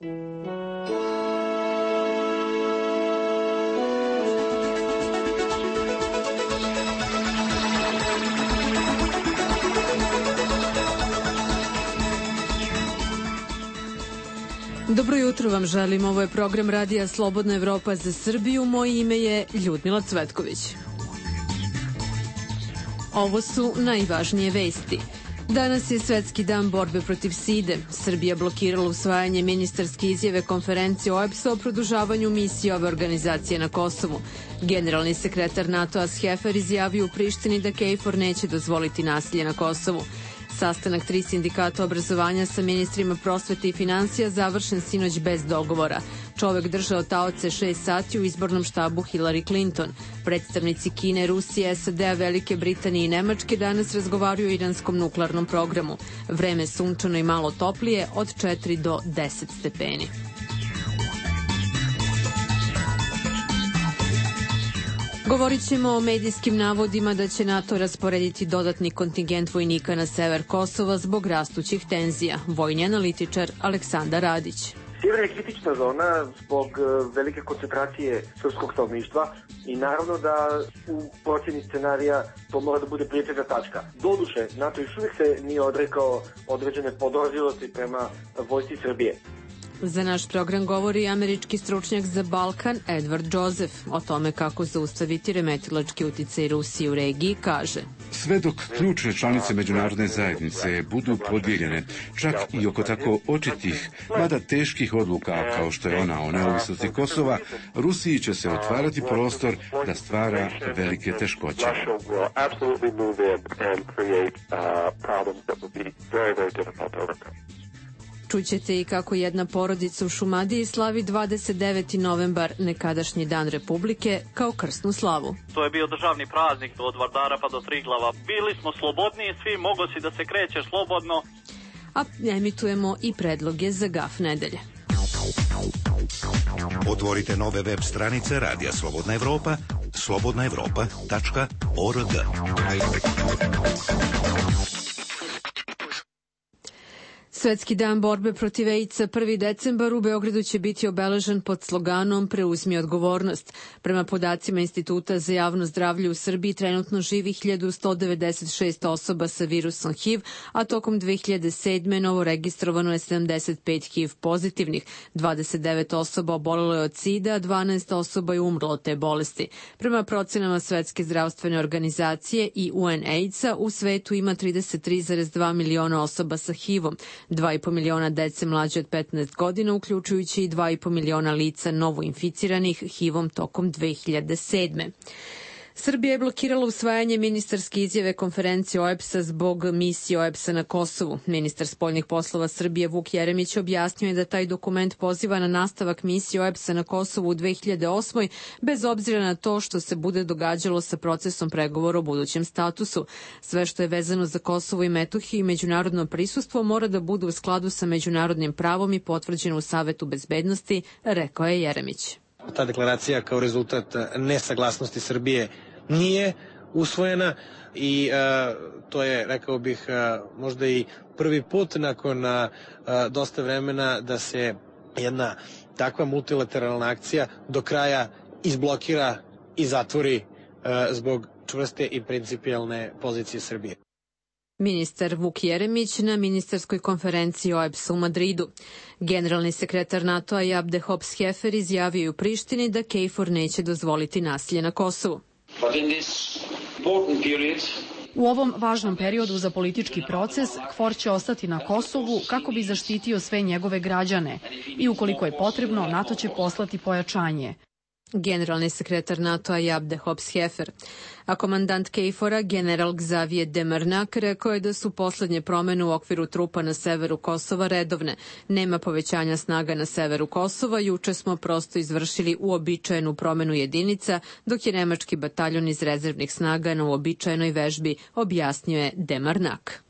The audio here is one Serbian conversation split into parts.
Dobro jutro vam želim, ovo je program Radija Slobodna Evropa za Srbiju, moje ime je Ljudmila Cvetković. Ovo su najvažnije vesti. Danas je Svetski dan borbe protiv side. Srbija blokirala usvajanje ministarske izjave konferencije OEBS-a o produžavanju misije ove organizacije na Kosovu. Generalni sekretar NATO-a Schäfer izjavio u Prištini da KFOR neće dozvoliti nasilje na Kosovu. Sastanak 3 sindikata obrazovanja sa ministrima prosvete i finansija završen sinoć bez dogovora. Čovek držao taoce 6 sati u izbornom štabu Hillary Clinton. Predstavnici Kine, Rusije, SAD-a, Velike Britanije i Nemačke danas razgovaraju o iranskom nuklearnom programu. Vreme sunčano i malo toplije od 4 do 10 stepeni. Govorit ćemo o medijskim navodima da će NATO rasporediti dodatni kontingent vojnika na sever Kosova zbog rastućih tenzija. Vojni analitičar Aleksandar Radić. Sjever je kritična zona zbog velike koncentracije srpskog stanovništva i naravno da u procjeni scenarija to mora da bude prioritetna tačka. Doduše, NATO još uvijek se nije odrekao određene podozrivosti prema vojsci Srbije. Za naš program govori američki stručnjak za Balkan Edward Joseph. O tome kako zaustaviti remetilački uticaj Rusije u regiji kaže: Sve dok ključne članice međunarodne zajednice budu podijeljene, čak i oko tako očitih, mada teških odluka kao što je ona o neovisnosti Kosova, Rusiji će se otvarati prostor da stvara velike teškoće. Čućete i kako jedna porodica u Šumadiji slavi 29. novembar, nekadašnji dan Republike, kao krsnu slavu. To je bio državni praznik od Vardara pa do Triglava. Bili smo slobodniji, svi moglo si da se krećeš slobodno. A emitujemo i predloge za GAF nedelje. Otvorite nove web stranice Radija Slobodna Evropa, slobodnaevropa.org. Svetski dan borbe protiv AIDS-a 1. decembar u Beogradu će biti obeležen pod sloganom Preuzmi odgovornost. Prema podacima Instituta za javno zdravlje u Srbiji trenutno živi 1196 osoba sa virusom HIV, a tokom 2007. novo registrovano je 75 HIV pozitivnih. 29 osoba obolelo je od sida, a 12 osoba je umrlo od te bolesti. Prema procenama Svetske zdravstvene organizacije i UNAIDS-a u svetu ima 33,2 miliona osoba sa HIV-om. 2,5 miliona dece mlađe od 15 godina, uključujući i 2,5 miliona lica novoinficiranih HIV-om tokom 2007. Srbija je blokirala usvajanje ministarske izjave konferencije OEBS-a zbog misije OEBS-a na Kosovu. Ministar spoljnih poslova Srbije Vuk Jeremić objasnio je da taj dokument poziva na nastavak misije OEBS-a na Kosovu u 2008. bez obzira na to što se bude događalo sa procesom pregovora o budućem statusu. Sve što je vezano za Kosovo i Metohiju i međunarodno prisustvo mora da bude u skladu sa međunarodnim pravom i potvrđeno u Savetu bezbednosti, rekao je Jeremić. Ta deklaracija kao rezultat nesaglasnosti Srbije nije usvojena i to je, rekao bih, možda i prvi put nakon dosta vremena da se jedna takva multilateralna akcija do kraja izblokira i zatvori zbog čvrste i principijelne pozicije Srbije. Ministar Vuk Jeremić na ministarskoj konferenciji OEBS-a u Madridu. Generalni sekretar NATO-a Abdehop Schäfer izjavio u Prištini da KFOR neće dozvoliti nasilje na Kosovu. U ovom važnom periodu za politički proces, KFOR će ostati na Kosovu kako bi zaštitio sve njegove građane i ukoliko je potrebno, NATO će poslati pojačanje. Generalni sekretar NATO-a Abdehop Schäfer. A komandant KFOR-a, general Xavier Demarnak, rekao je da su poslednje promene u okviru trupa na severu Kosova redovne. Nema povećanja snaga na severu Kosova, juče smo prosto izvršili uobičajenu promenu jedinica, dok je nemački bataljon iz rezervnih snaga na uobičajenoj vežbi, objasnio je Demarnak.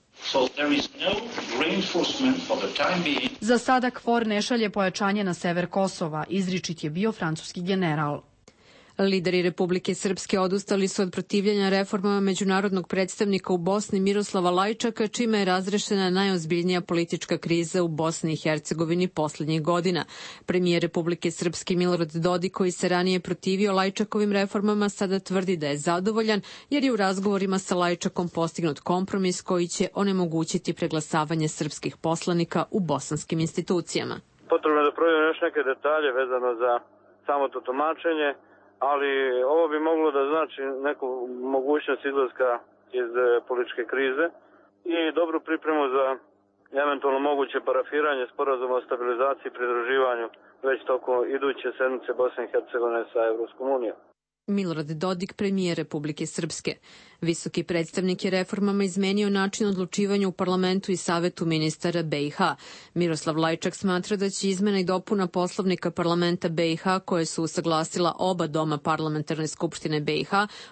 Za sada KFOR ne šalje pojačanje na sever Kosova, izričit je bio francuski general. Lideri Republike Srpske odustali su od protivljenja reformama međunarodnog predstavnika u Bosni Miroslava Lajčaka, čime je razrešena najozbiljnija politička kriza u Bosni i Hercegovini poslednjih godina. Premijer Republike Srpske Milorad Dodik, koji se ranije protivio Lajčakovim reformama, sada tvrdi da je zadovoljan jer je u razgovorima sa Lajčakom postignut kompromis koji će onemogućiti preglasavanje srpskih poslanika u bosanskim institucijama. Potrebno je da provjerimo još neke detalje vezano za samo to tumačenje, ali ovo bi moglo da znači neku mogućnost izlaska iz političke krize i dobru pripremu za eventualno moguće parafiranje sporazuma o stabilizaciji i pridruživanju već tokom iduće sedmice Bosne i Hercegovine sa Evropskom unijom. Milorad Dodik, premijer Republike Srpske. Visoki predstavnik je reformama izmenio način odlučivanja u parlamentu i savetu ministara BiH. Miroslav Lajčak smatra da će izmena i dopuna poslovnika parlamenta BiH, koje su usaglasila oba doma parlamentarne skupštine BiH,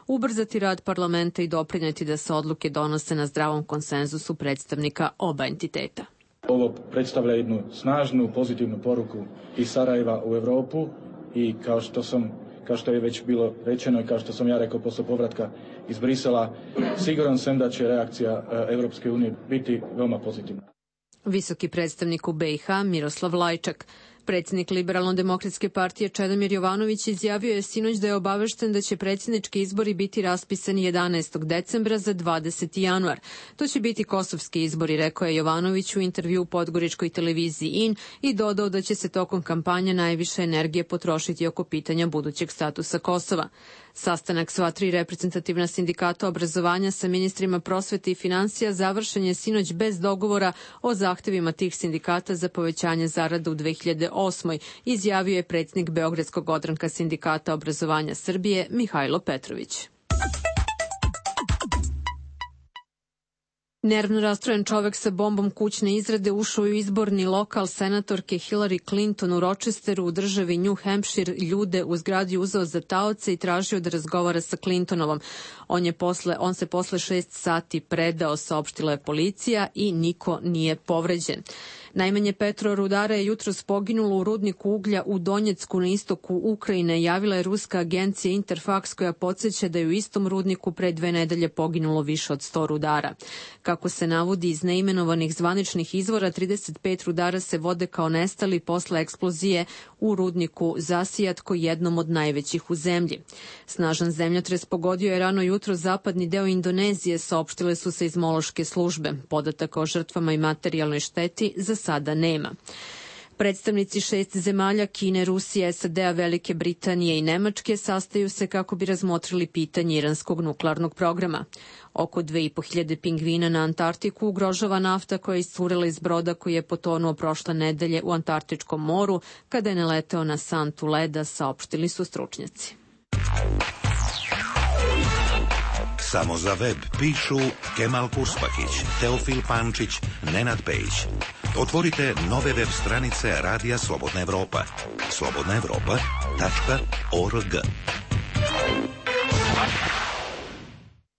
ubrzati rad parlamenta i doprineti da se odluke donose na zdravom konsenzusu predstavnika oba entiteta. Ovo predstavlja jednu snažnu, pozitivnu poruku iz Sarajeva u Evropu i kao što je već bilo rečeno i kao što sam ja rekao posle povratka iz Brisela, siguran sam da će reakcija Evropske unije biti veoma pozitivna. Visoki predstavnik u BiH Miroslav Lajčak. Predsjednik Liberalno-demokratske partije Čedomir Jovanović izjavio je sinoć da je obavešten da će predsjednički izbori biti raspisani 11. decembra za 20. januar. To će biti kosovski izbori, rekao je Jovanović u intervju u podgoričkoj televiziji IN i dodao da će se tokom kampanje najviše energije potrošiti oko pitanja budućeg statusa Kosova. Sastanak sva tri reprezentativna sindikata obrazovanja sa ministrima prosvete i finansija završen je sinoć bez dogovora o zahtevima tih sindikata za povećanje zarada u 2008. izjavio je predsjednik Beogradskog odranka sindikata obrazovanja Srbije Mihajlo Petrović. Nervno rastrojen čovek sa bombom kućne izrade ušao u izborni lokal senatorke Hillary Clinton u Rochesteru u državi New Hampshire, ljude u zgradi uzeo za taoce i tražio da razgovara sa Clintonovom. On se posle 6 sati predao, saopštila je policija, i niko nije povređen. Najmanje 5 rudara je jutros poginulo u rudniku uglja u Donjecku na istoku Ukrajine, javila je ruska agencija Interfax, koja podsjeća da je u istom rudniku pre 2 nedelje poginulo više od 100 rudara. Kako se navodi iz neimenovanih zvaničnih izvora, 35 rudara se vode kao nestali posle eksplozije u rudniku Zasijatko, jednom od najvećih u zemlji. Snažan zemljotres pogodio je rano jutro zapadni deo Indonezije, saopštile su se iz Mološke službe. Podataka o žrtvama i materijalnoj šteti za sada nema. Predstavnici 6 zemalja, Kine, Rusije, SAD-a, Velike Britanije i Nemačke, sastaju se kako bi razmotrili pitanje iranskog nuklearnog programa. Oko 2500 pingvina na Antarktiku ugrožava nafta koja je iscurela iz broda koji je potonuo prošle nedelje u Antarktičkom moru kada je naleteo na santu leda, saopštili su stručnjaci. Samo za web pišu Kemal Purspakić, Teofil Pančić, Nenad Pejić. Otvorite nove web stranice Radija Slobodna Evropa. slobodnaevropa.org.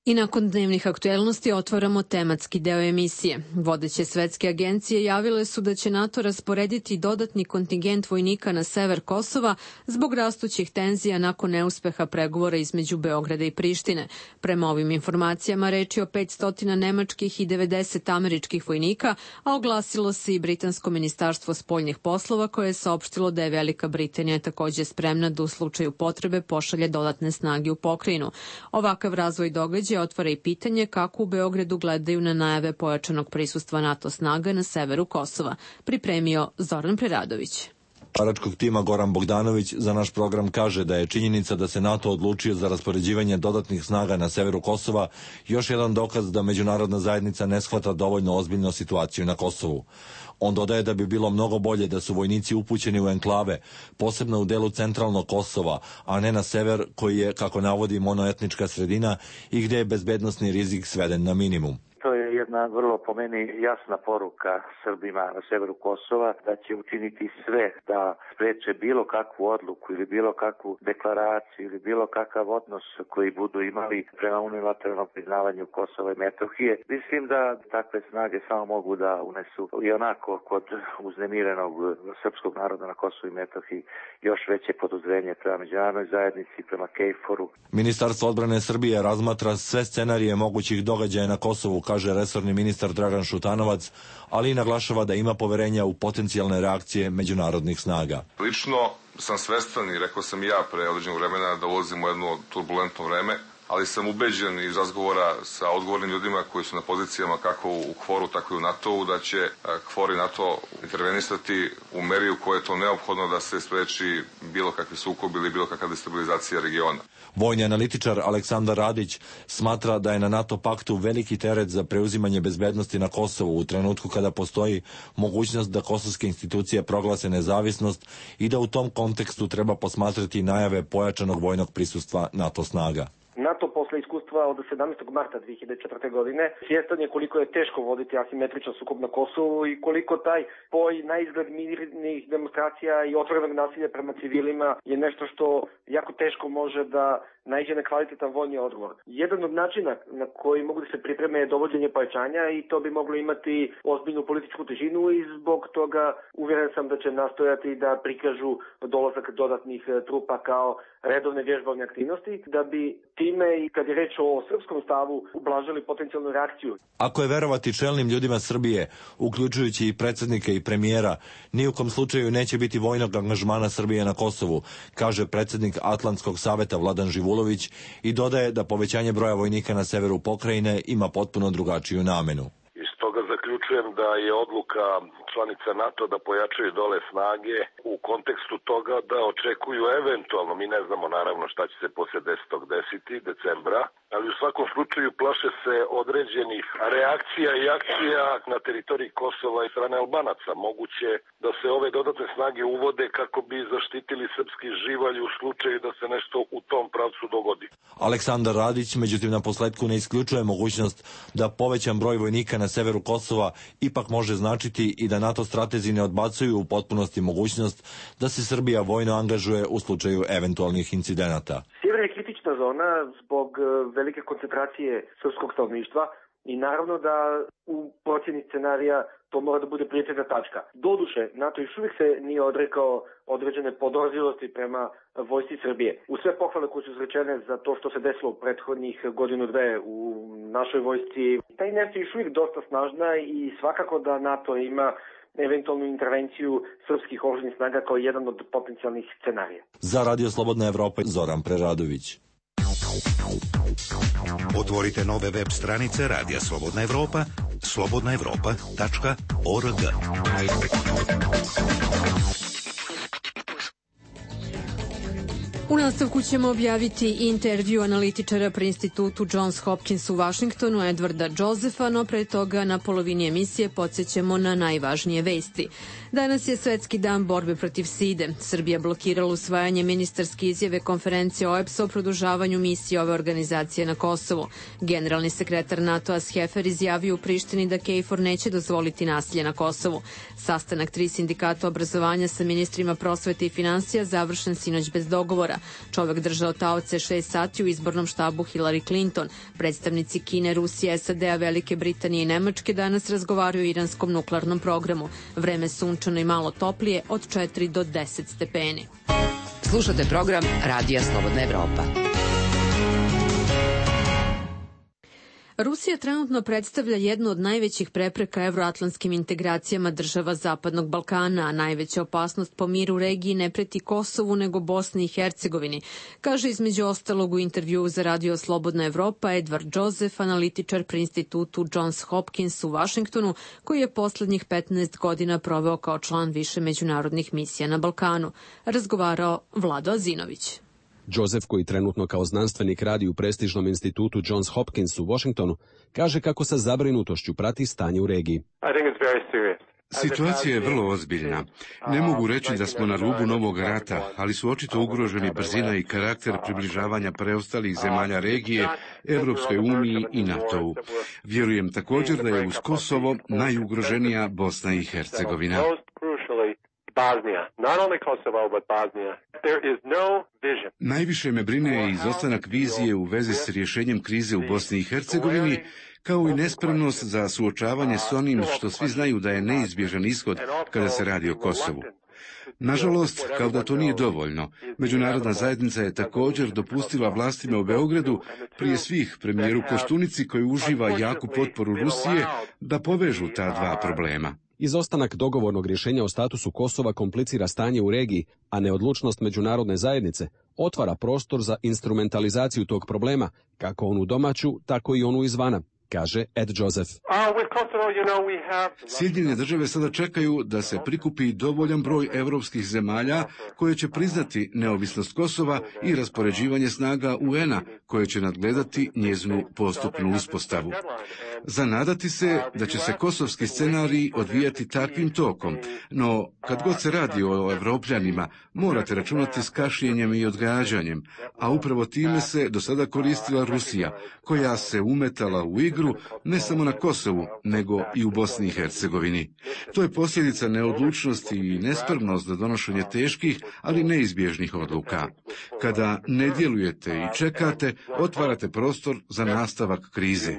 I nakon dnevnih aktuelnosti otvaramo tematski deo emisije. Vodeće svetske agencije javile su da će NATO rasporediti dodatni kontingent vojnika na sever Kosova zbog rastućih tenzija nakon neuspeha pregovora između Beograda i Prištine. Prema ovim informacijama reč je o 500 nemačkih i 90 američkih vojnika, a oglasilo se i Britansko ministarstvo spoljnih poslova koje je saopštilo da je Velika Britanija takođe spremna da u slučaju potrebe pošalje dodatne snage u pokrajinu. Ovakav razvoj događaja otvara i pitanje kako u Beogradu gledaju na najave pojačanog prisustva NATO snaga na severu Kosova. Pripremio Zoran Preradović. Pregovaračkog tima Goran Bogdanović za naš program kaže da je činjenica da se NATO odlučio za raspoređivanje dodatnih snaga na severu Kosova još jedan dokaz da međunarodna zajednica ne shvata dovoljno ozbiljno situaciju na Kosovu. On dodaje da bi bilo mnogo bolje da su vojnici upućeni u enklave, posebno u delu centralnog Kosova, a ne na sever koji je, kako navodi, monoetnička sredina i gde je bezbednosni rizik sveden na minimum. To je je jedna vrlo po meni jasna poruka Srbima na severu Kosova da će učiniti sve da spreče bilo kakvu odluku ili bilo kakvu deklaraciju ili bilo kakav odnos koji budu imali prema unilateralnom priznavanju Kosova i Metohije. Mislim da takve snage samo mogu da unesu i onako kod uznemirenog srpskog naroda na Kosovu i Metohiji još veće podozrenje prema međunarodnoj zajednici, prema KFOR-u. Ministarstvo odbrane Srbije razmatra sve scenarije mogućih događaja na Kosovu, kaže resorni ministar Dragan Šutanovac, ali i naglašava da ima poverenja u potencijalne reakcije međunarodnih snaga. Lično sam svestan i rekao sam i ja pre određenog vremena da ulazimo u jedno turbulentno vreme, ali sam ubeđen iz razgovora sa odgovornim ljudima koji su na pozicijama kako u KFOR-u, tako i u NATO-u, da će KFOR i NATO intervenisati u meri u kojoj je to neophodno da se spreči bilo kakvi sukob ili bilo kakva destabilizacija regiona. Vojni analitičar Aleksandar Radić smatra da je na NATO paktu veliki teret za preuzimanje bezbednosti na Kosovu u trenutku kada postoji mogućnost da kosovske institucije proglase nezavisnost i da u tom kontekstu treba posmatrati najave pojačanog vojnog prisustva NATO snaga. NATO posle iskustva od 17. marta 2004. godine svjestan je koliko je teško voditi asimetričan sukob na Kosovu i koliko taj spoj na izgled mirnih demonstracija i otvorenog nasilja prema civilima je nešto što jako teško može da naiđe na kvalitetan vojni odgovor. Jedan od načina na koji mogu da se pripreme je dovođenje pojačanja i to bi moglo imati ozbiljnu političku težinu i zbog toga uvjeren sam da će nastojati da prikažu dolazak dodatnih trupa kao redovne vježbovne aktivnosti, da bi time i kad je reč o srpskom stavu ublažili potencijalnu reakciju. Ako je verovati čelnim ljudima Srbije, uključujući i predsjednika i premijera, ni u kom slučaju neće biti vojnog angažmana Srbije na Kosovu, kaže predsjednik Atlantskog saveta Vladan Živulović i dodaje da povećanje broja vojnika na severu pokrajine ima potpuno drugačiju namenu. Iz toga zaključujem da je odluka članica NATO da pojačaju dole snage u kontekstu toga da očekuju eventualno, mi ne znamo naravno šta će se poslije 10. decembra, ali u svakom slučaju plaše se određenih reakcija i akcija na teritoriji Kosova i strane Albanaca. Moguće da se ove dodatne snage uvode kako bi zaštitili srpski živalj u slučaju da se nešto u tom pravcu dogodi. Aleksandar Radić, međutim, na posledku ne isključuje mogućnost da povećan broj vojnika na severu Kosova ipak može značiti i da NATO stratezi ne odbacuju u potpunosti mogućnost da se Srbija vojno angažuje u slučaju eventualnih incidenata. Sjever je kritična zona zbog velike koncentracije srpskog stanovništva i naravno da u procjeni scenarija to mora da bude prioritetna tačka. Doduše, NATO još uvijek se nije odrekao određene podozrivosti prema vojsci Srbije. U sve pohvale koje su izrečene za to što se desilo u prethodnih godinu dve u našoj vojsci, ta inercija je još uvijek dosta snažna i svakako da NATO ima eventualnu intervenciju srpskih oružanih snaga kao jedan od potencijalnih scenarija. Za Radio Slobodna Evropa, Zoran Preradović. Otvorite nove web stranice Radija Slobodna Evropa, slobodnaevropa.org. U nastavku ćemo objaviti intervju analitičara pri institutu Johns Hopkins u Vašingtonu Edwarda Josepha, no pre toga na polovini emisije podsjećamo na najvažnije vesti. Danas je Svetski dan borbe protiv side. Srbija blokirala usvajanje ministarske izjave konferencije OEBS-a o produžavanju misije ove organizacije na Kosovu. Generalni sekretar NATO-a Schefer izjavio u Prištini da KFOR neće dozvoliti nasilje na Kosovu. Sastanak 3 sindikata obrazovanja sa ministrima prosvete i finansija završen sinoć bez dogovora. Čovek držao taoce 6 sati u izbornom štabu Hillary Clinton. Predstavnici Kine, Rusije, SAD-a, Velike Britanije i Nemačke danas razgovaraju o iranskom nuklearnom programu. Vreme sunčano i malo toplije od 4 do 10 stepeni. Slušate program Radija Slobodna Evropa. Rusija trenutno predstavlja jednu od najvećih prepreka evroatlantskim integracijama država Zapadnog Balkana, a najveća opasnost po miru u regiji ne preti Kosovu nego Bosni i Hercegovini, kaže između ostalog u intervjuu za Radio Slobodna Evropa Edward Joseph, analitičar pri institutu Johns Hopkins u Vašingtonu, koji je poslednjih 15 godina proveo kao član više međunarodnih misija na Balkanu. Razgovarao Vlado Azinović. Joseph, koji trenutno kao znanstvenik radi u prestižnom institutu Johns Hopkins u Washingtonu, kaže kako sa zabrinutošću prati stanje u regiji. Situacija je vrlo ozbiljna. Ne mogu reći da smo na rubu novog rata, ali su očito ugroženi brzina i karakter približavanja preostalih zemalja regije, Evropskoj uniji i NATO-u. Vjerujem također da je uz Kosovo najugroženija Bosna i Hercegovina. Najviše me brine izostanak vizije u vezi s rješenjem krize u Bosni i Hercegovini, kao i nespremnost za suočavanje s onim što svi znaju da je neizbježan ishod kada se radi o Kosovu. Nažalost, kao da to nije dovoljno, međunarodna zajednica je također dopustila vlastima u Beogradu, prije svih premijeru Koštunici koji uživa jaku potporu Rusije, da povežu ta dva problema. Izostanak dogovornog rješenja o statusu Kosova komplicira stanje u regiji, a neodlučnost međunarodne zajednice otvara prostor za instrumentalizaciju tog problema, kako onu domaću, tako i onu izvana, kaže Ed Joseph. Sjedinjene države sada čekaju da se prikupi dovoljan broj europskih zemalja koje će priznati neovisnost Kosova i raspoređivanje snaga UN-a koje će nadgledati njezinu postupnu uspostavu. Zanadati se da će se kosovski scenarij odvijati takvim tokom, no kad god se radi o Evropljanima, morate računati s kašnjenjem i odgađanjem, a upravo time se do sada koristila Rusija, koja se umetala u igru ne samo na Kosovu, nego i u Bosni i Hercegovini. To je posljedica neodlučnosti i nespremnost za donošenje teških, ali neizbježnih odluka. Kada ne djelujete i čekate, otvarate prostor za nastavak krize.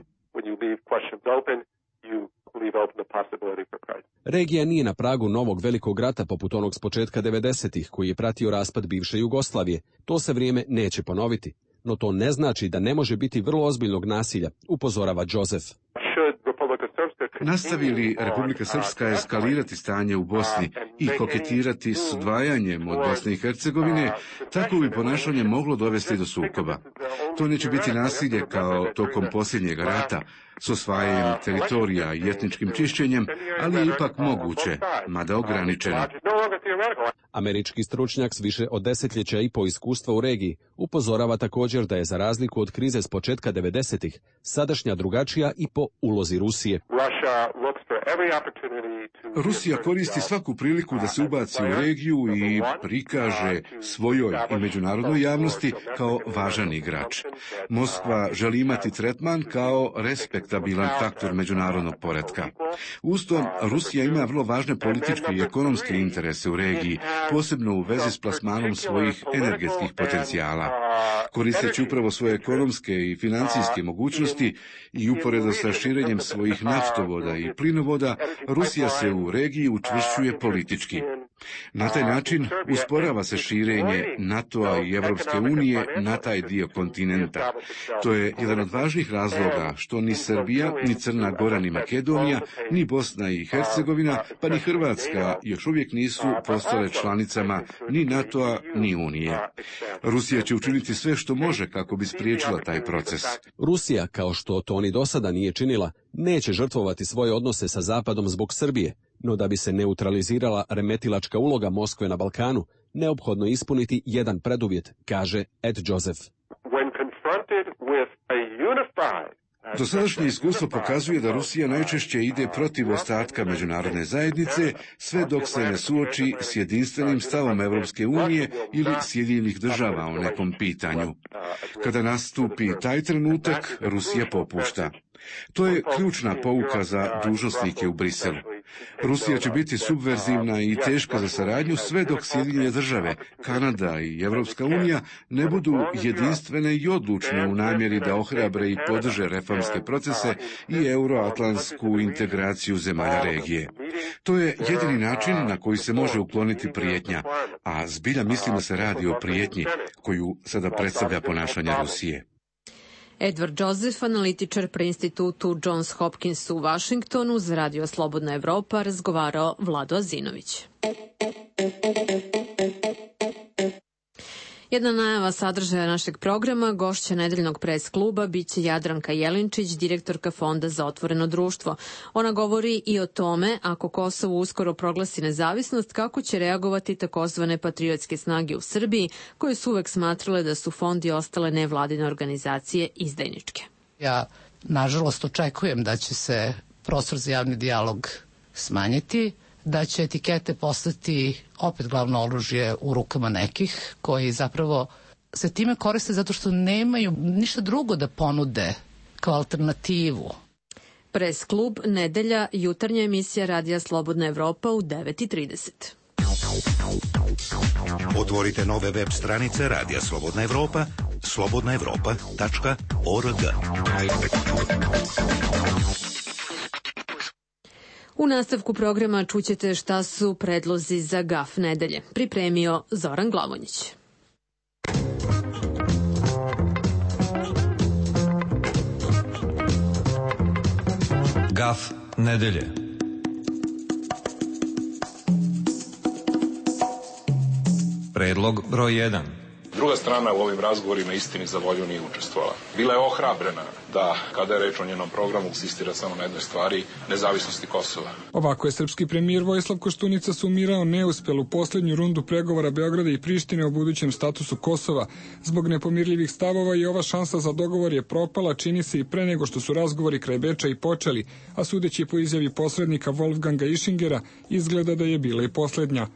Regija nije na pragu novog velikog rata poput onog s početka 90-ih koji je pratio raspad bivše Jugoslavije. To se vrijeme neće ponoviti, no to ne znači da ne može biti vrlo ozbiljnog nasilja, upozorava Joseph. Nastavi li Republika Srpska eskalirati stanje u Bosni i koketirati s odvajanjem od Bosne i Hercegovine, tako bi ponašanje moglo dovesti do sukoba. To neće biti nasilje kao tokom posljednjeg rata, s osvajanjem teritorija i etničkim čišćenjem, ali je ipak moguće, mada ograničeno. Američki stručnjak s više od desetljeća i po iskustva u regiji upozorava također da je za razliku od krize s početka 90-ih sadašnja drugačija i po ulozi Rusije. Rusija koristi svaku priliku da se ubaci u regiju i prikaže svojoj i međunarodnoj javnosti kao važan igrač. Moskva želi imati tretman kao respektabilan faktor međunarodnog poretka. Uz to, Rusija ima vrlo važne političke i ekonomske interese u regiji, posebno u vezi s plasmanom svojih energetskih potencijala. Koristeći upravo svoje ekonomske i financijske mogućnosti i uporedo sa širenjem svojih naftovoda i plinovoda, Rusija se u regiji učvršćuje politički. Na taj način usporava se širenje NATO-a i Evropske unije na taj dio kontinenta. To je jedan od važnih razloga što ni Srbija, ni Crna Gora, ni Makedonija, ni Bosna i Hercegovina, pa ni Hrvatska još uvijek nisu postale članicama ni NATO-a, ni Unije. Rusija će učiniti sve što može kako bi spriječila taj proces. Rusija, kao što to ni do sada nije činila, neće žrtvovati svoje odnose sa Zapadom zbog Srbije, no da bi se neutralizirala remetilačka uloga Moskve na Balkanu, neophodno ispuniti jedan preduvjet, kaže Ed Joseph. Dosadašnje iskustvo pokazuje da Rusija najčešće ide protiv ostatka međunarodne zajednice, sve dok se ne suoči s jedinstvenim stavom Evropske unije ili Sjedinjenih država o nekom pitanju. Kada nastupi taj trenutak, Rusija popušta. To je ključna pouka za dužnosnike u Briselu. Rusija će biti subverzivna i teška za saradnju sve dok Sjedinjene države, Kanada i Evropska unija ne budu jedinstvene i odlučne u namjeri da ohrabre i podrže reformske procese i euroatlantsku integraciju zemalja regije. To je jedini način na koji se može ukloniti prijetnja, a zbilja mislim da se radi o prijetnji koju sada predstavlja ponašanje Rusije. Edward Joseph, analitičar pri institutu Johns Hopkins u Vašingtonu, za Radio Slobodna Evropa razgovarao Vlado Azinović. Jedna najava sadržaja našeg programa, gošća nedeljnog pres kluba, biće Jadranka Jelinčić, direktorka Fonda za otvoreno društvo. Ona govori i o tome, ako Kosovo uskoro proglasi nezavisnost, kako će reagovati takozvane patriotske snage u Srbiji, koje su uvek smatrale da su Fond i ostale nevladine organizacije izdajničke. Ja, nažalost, očekujem da će se prostor za javni dijalog smanjiti, da će etikete postati opet glavno oružje u rukama nekih koji zapravo se time koriste zato što nemaju ništa drugo da ponude kao alternativu. Pres klub, nedelja, jutarnja emisija Radija Slobodna Evropa u 9:30. Otvorite nove web stranice Radija Slobodna Evropa, slobodnaevropa.org. U nastavku programa čućete šta su predlozi za GAF nedelje. Pripremio Zoran Glavonjić. GAF nedelje. Predlog broj 1. Druga strana u ovim razgovorima istini za volju nije učestvovala. Bila je ohrabrena da, kada je reč o njenom programu, insistira samo na jednoj stvari, nezavisnosti Kosova. Ovako je srpski premijer Vojislav Koštunica sumirao neuspelu poslednju rundu pregovora Beograda i Prištine o budućem statusu Kosova. Zbog nepomirljivih stavova i ova šansa za dogovor je propala, čini se i pre nego što su razgovori kraj Beča i počeli, a sudeći po izjavi posrednika Wolfganga Ischingera, izgleda da je bila i poslednja.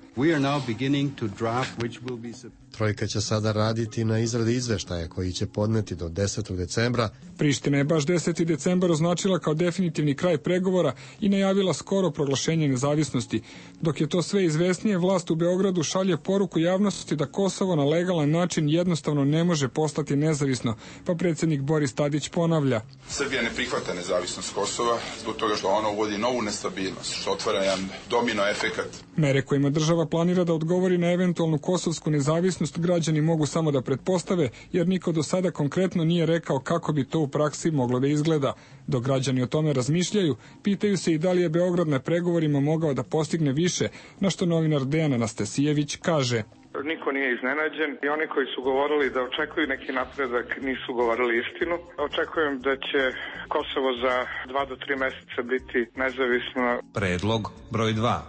Trojka će sada raditi na izradi izveštaja koji će podneti do 10. decembra. Priština je baš 10. decembar označila kao definitivni kraj pregovora i najavila skoro proglašenje nezavisnosti. Dok je to sve izvesnije, vlast u Beogradu šalje poruku javnosti da Kosovo na legalan način jednostavno ne može postati nezavisno, pa predsjednik Boris Tadić ponavlja. Srbija ne prihvata nezavisnost Kosova zbog toga što ono uvodi novu nestabilnost, što otvara jedan domino efekat. Mere kojima država planira da odgovori na eventualnu kosovsku nezavisnost građani mogu samo da pretpostave, jer niko do sada konkretno nije rekao kako bi to u praksi moglo da izgleda. Dok građani o tome razmišljaju, pitaju se i da li je Beograd na pregovorima mogao da postigne više, na što novinar Dejan Anastasijević kaže. Niko nije iznenađen i oni koji su govorili da očekuju neki napredak nisu govorili istinu. Očekujem da će Kosovo za 2 do 3 meseca biti nezavisno. Predlog broj 2.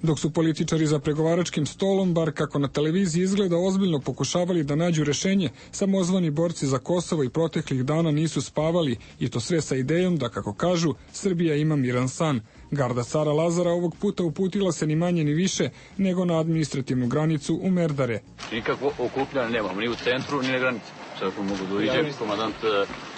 Dok su političari za pregovaračkim stolom, bar kako na televiziji izgleda, ozbiljno pokušavali da nađu rešenje, samozvani borci za Kosovo i proteklih dana nisu spavali, i to sve sa idejom da, kako kažu, Srbija ima miran san. Garda cara Lazara ovog puta uputila se ni manje ni više nego na administrativnu granicu u Merdare. Nikakvo okupljanje nemamo, ni u centru, ni na granici. Svako mogu da uđe, komandant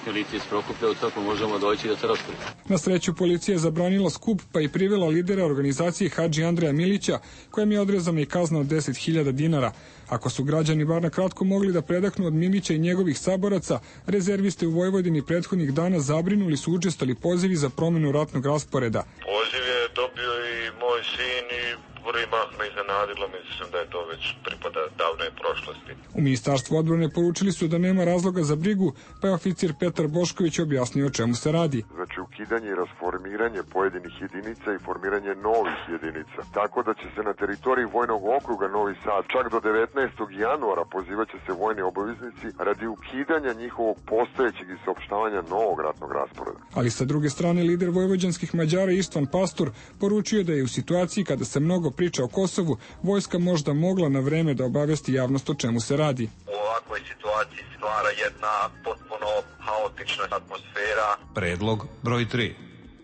milicije iz Prokuplja, od svako možemo doći da se raspravi. Na sreću policija je zabranila skup pa i privela lidera organizacije Hadži Andreja Milića, kojem je odrezana i kazna od 10.000 dinara. Ako su građani bar na kratko mogli da predahnu od Milića i njegovih saboraca, rezerviste u Vojvodini prethodnih dana zabrinuli su učestali pozivi za promenu ratnog rasporeda. Poziv je dobio i moj sin i prvi mah me iznenadilo, mislim da je to već pripada davnoj prošlosti. U Ministarstvu odbrane poručili su da nema razloga za brigu, pa je oficir Petar Bošković objasnio o čemu se radi. Znači ukidanje i rasformiranje pojedinih jedinica i formiranje novih jedinica. Tako da će se na teritoriji Vojnog okruga Novi Sad čak do 19. januara pozivaće se vojni obaveznici radi ukidanja njihovog postojećeg i saopštavanja novog ratnog rasporeda. Ali sa druge strane, lider vojvođanskih Mađara Istvan Pastor poručio da je u situaciji kada se mnogo priča o Kosovu, vojska možda mogla na vreme da obavesti javnost o čemu se radi. U ovakvoj situaciji stvara jedna potpuno haotična atmosfera. Predlog broj 3.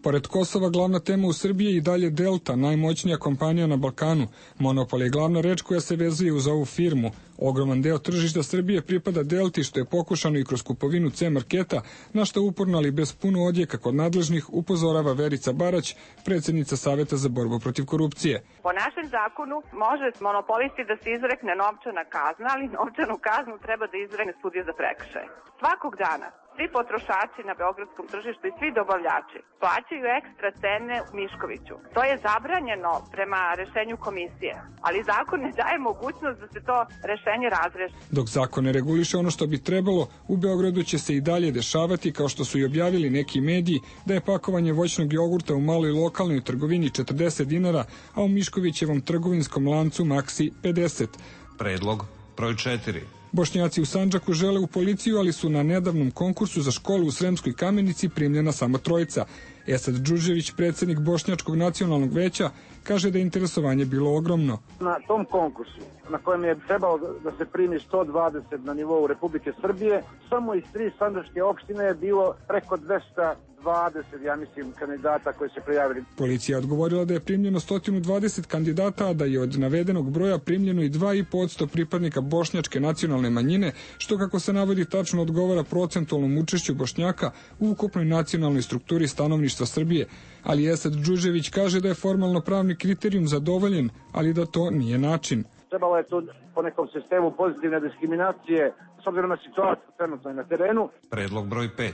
Pored Kosova, glavna tema u Srbiji je i dalje Delta, najmoćnija kompanija na Balkanu. Monopol je glavna reč koja se vezuje uz ovu firmu. Ogroman deo tržišta Srbije pripada Delti, što je pokušano i kroz kupovinu C-marketa, na što uporno, ali bez puno odjeka kod nadležnih, upozorava Verica Barać, predsjednica Saveta za borbu protiv korupcije. Po našem zakonu može monopolisti da se izrekne novčana kazna, ali novčanu kaznu treba da izrekne sudija za prekršaje. Svakog dana svi potrošači na beogradskom tržištu i svi dobavljači plaćaju ekstra cene u Miškoviću. To je zabranjeno prema rešenju komisije, ali zakon ne daje mogućnost da se to rešenje razreši. Dok zakon ne reguliše ono što bi trebalo, u Beogradu će se i dalje dešavati, kao što su i objavili neki mediji, da je pakovanje voćnog jogurta u maloj lokalnoj trgovini 40 dinara, a u Miškovićevom trgovinskom lancu Maxi 50. Predlog broj 4. Bošnjaci u Sandžaku žele u policiju, ali su na nedavnom konkursu za školu u Sremskoj Kamenici primljena samo trojica. Esad Đurđević, predsjednik Bošnjačkog nacionalnog veća, kaže da je interesovanje bilo ogromno. Na tom konkursu, na kojem je trebalo da se primi 120 na nivou Republike Srbije, samo iz 3 sandžačke opštine je bilo preko 220 120, ja mislim, kandidata koji se prijavili. Policija je odgovorila da je primljeno 120 kandidata, a da je od navedenog broja primljeno i 2,5% pripadnika bošnjačke nacionalne manjine, što kako se navodi tačno odgovara procentualnom učešću Bošnjaka u ukupnoj nacionalnoj strukturi stanovništva Srbije. Ali Esad Đuđević kaže da je formalno pravni kriterijum zadovoljen, ali da to nije način. Trebalo je tu po nekom sistemu pozitivne diskriminacije s obzirom na situaciju trenutno na terenu. Predlog broj 5.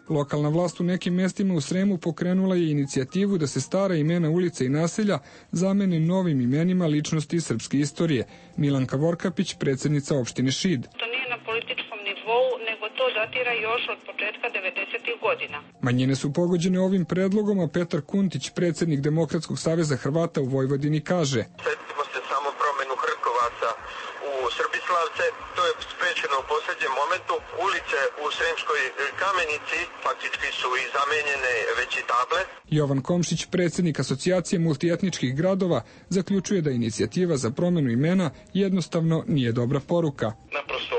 Lokalna vlast u nekim mestima u Sremu pokrenula je inicijativu da se stara imena ulica i naselja zamene novim imenima ličnosti srpske istorije. Milanka Vorkapić, predsjednica opštine Šid. To nije na političkom nivou, nego to datira još od početka 90. godina. Manjine su pogođene ovim predlogom, a Petar Kuntić, predsjednik Demokratskog saveza Hrvata u Vojvodini, kaže: Sjetimo se samo promenu Hrkovaca u Srbislavce, to je sprečeno u posljednjem momentu. Ulice u Sremskoj Kamenici faktički su i zamenjene već i table. Jovan Komšić, predsjednik Asocijacije multietničkih gradova, zaključuje da inicijativa za promjenu imena jednostavno nije dobra poruka. Naprosto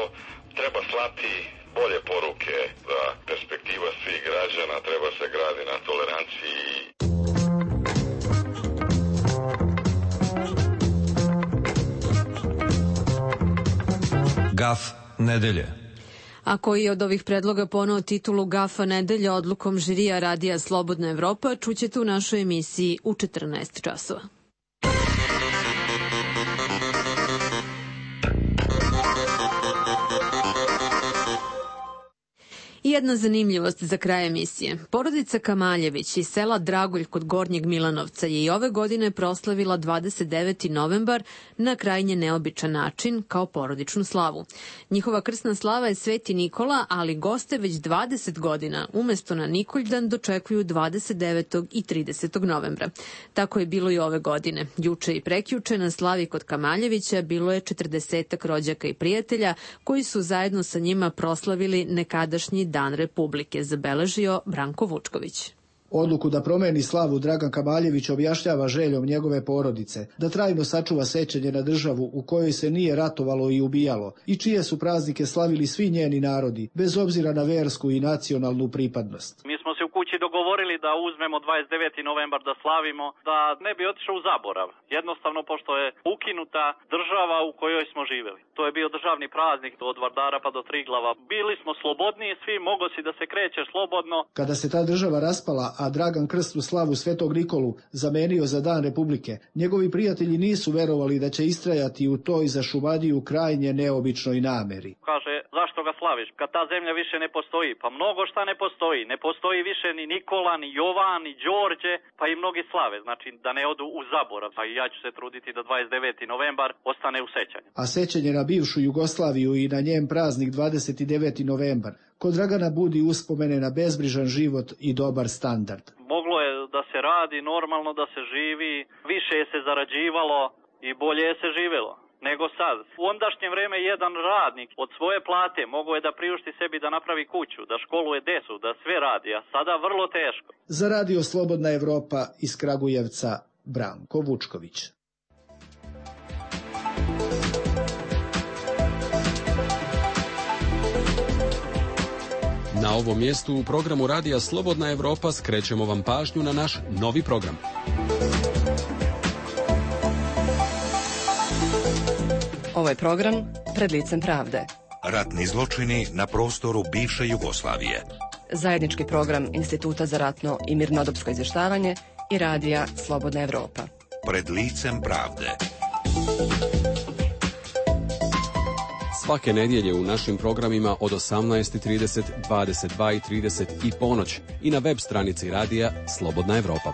treba slati bolje poruke da perspektiva svih građana treba se gradi na toleranciji. Gaf nedelje. A koji je od ovih predloga poneo titulu Gafa nedelja odlukom žirija Radija Slobodna Evropa, čućete u našoj emisiji u 14 časova. I jedna zanimljivost za kraj emisije. Porodica Kamaljević iz sela Dragulj kod Gornjeg Milanovca je i ove godine proslavila 29. novembar na krajnje neobičan način kao porodičnu slavu. Njihova krsna slava je Sveti Nikola, ali goste već 20 godina umesto na Nikoljdan dočekuju 29. i 30. novembra. Tako je bilo i ove godine. Juče i prekjuče na slavi kod Kamaljevića bilo je 40 rođaka i prijatelja koji su zajedno sa njima proslavili nekadašnji Dan Republike, zabeležio Branko Vučković. Odluku da promeni slavu Dragan Kamaljević objašnjava željom njegove porodice, da trajno sačuva sećanje na državu u kojoj se nije ratovalo i ubijalo i čije su praznike slavili svi njeni narodi, bez obzira na versku i nacionalnu pripadnost. Mi smo se u kući dogovorili da uzmemo 29. novembar da slavimo, da ne bi otišao u zaborav. Jednostavno, pošto je ukinuta država u kojoj smo živjeli. To je bio državni praznik od Vardara pa do Triglava. Bili smo slobodniji, svi mogo si da se krećeš slobodno. Kada se ta država raspala, a Dragan krsnu slavu Svetog Nikolu zamenio za Dan Republike, njegovi prijatelji nisu verovali da će istrajati u toj za Šumadiju krajnje neobičnoj nameri. Kaže, zašto ga slaviš? Kad ta zemlja više ne postoji. Pa mnogo šta ne postoji. Ne postoji više ni Nikola, ni Jovan, ni Đorđe, pa i mnogi slave. Znači da ne odu u zaborav. Pa i ja ću se truditi da 29. novembar ostane u sećanju. A sećanje na bivšu Jugoslaviju i na njen praznik 29. novembar kod Dragana budi uspomene na bezbrižan život i dobar standard. Moglo je da se radi, normalno da se živi, više je se zarađivalo i bolje je se živelo nego sad. U ondašnje vreme jedan radnik od svoje plate mogao je da priušti sebi da napravi kuću, da školuje decu, da sve radi, a sada vrlo teško. Za Radio Slobodna Evropa iz Kragujevca, Branko Vučković. Na ovom mjestu u programu Radija Slobodna Evropa skrećemo vam pažnju na naš novi program. Ovaj program pred licem pravde. Ratni zločini na prostoru bivše Jugoslavije. Zajednički program Instituta za ratno i mirnodopsko izvještavanje i Radija Slobodna Evropa. Pred licem pravde. Svake nedjelje u našim programima od 18:30, 22:30 i ponoć i na web stranici Radija Slobodna Evropa.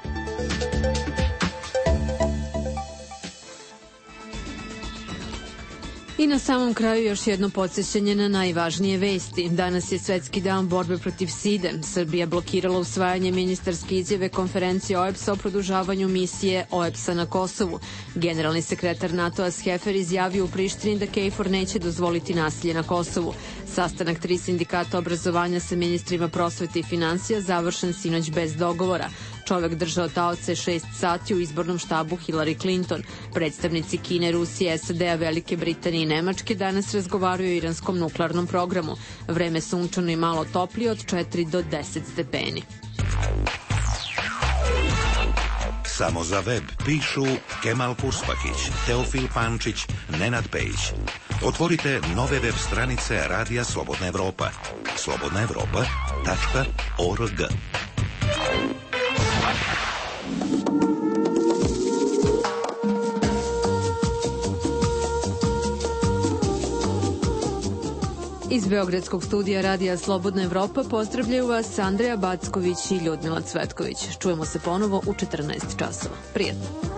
I na samom kraju još jedno podsjećanje na najvažnije vesti. Danas je Svetski dan borbe protiv side. Srbija blokirala usvajanje ministarske izjave konferencije OEBS-a o produžavanju misije OEBS-a na Kosovu. Generalni sekretar NATO-a Schaeffer izjavio u Prištini da KFOR neće dozvoliti nasilje na Kosovu. Sastanak 3 sindikata obrazovanja sa ministrima prosvete i finansija završen sinoć bez dogovora. Čovek držao taoce 6 sati u izbornom štabu Hillary Clinton. Predstavnici Kine, Rusije, SAD-a, Velike Britanije i Nemačke danas razgovaraju o iranskom nuklearnom programu. Vreme sunčano i malo toplije od 4 do 10 stepeni. Samo za web pišu Kemal Kurspakić, Teofil Pančić, Nenad Pejić. Otvorite nove web stranice Radija Slobodna Evropa. slobodnaevropa.org. Iz Beogradskog studija Radija Slobodna Evropa pozdravljaju vas Andreja Backović i Ljudmila Cvetković. Čujemo se ponovo u 14 časova. Prijetno.